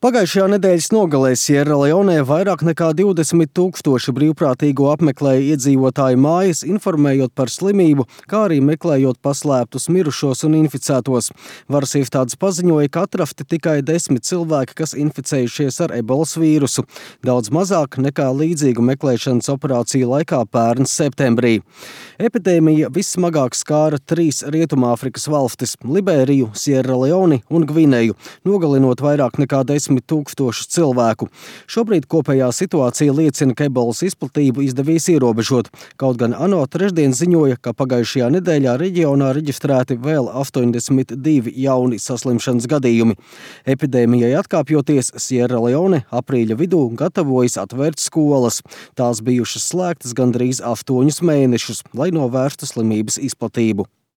Pagājušajā nedēļas nogalē Sierraleonē vairāk nekā 20,000 brīvprātīgo apmeklēja iedzīvotāju mājas, informējot par slimību, kā arī meklējot paslēptus mirušos un inficētos. Varas iestādes paziņoja, ka atrasti tikai 10 cilvēki, kas inficējušies ar ebolas vīrusu. Daudz mazāk nekā līdzīgu meklēšanas operāciju laikā pērn septembrī. Epidēmija vissmagāk skāra 3 Rietumāfrikas valstis – Liberiju, Sierraleoni un Gvineju, nogalinot vairāk nekā 10,000 cilvēku. Šobrīd kopējā situācija liecina, ka ebolas izplatību izdevies ierobežot. Kaut gan ANO trešdien ziņoja, ka pagājušajā nedēļā reģionā reģistrēti vēl 82 jauni saslimšanas gadījumi. Epidēmijai atkāpjoties, Sierraleone aprīļa vidū gatavojas atvērt skolas. Tās bijušas slēgtas gandrīz 8 mēnešus, lai novērstu slimības izplatību.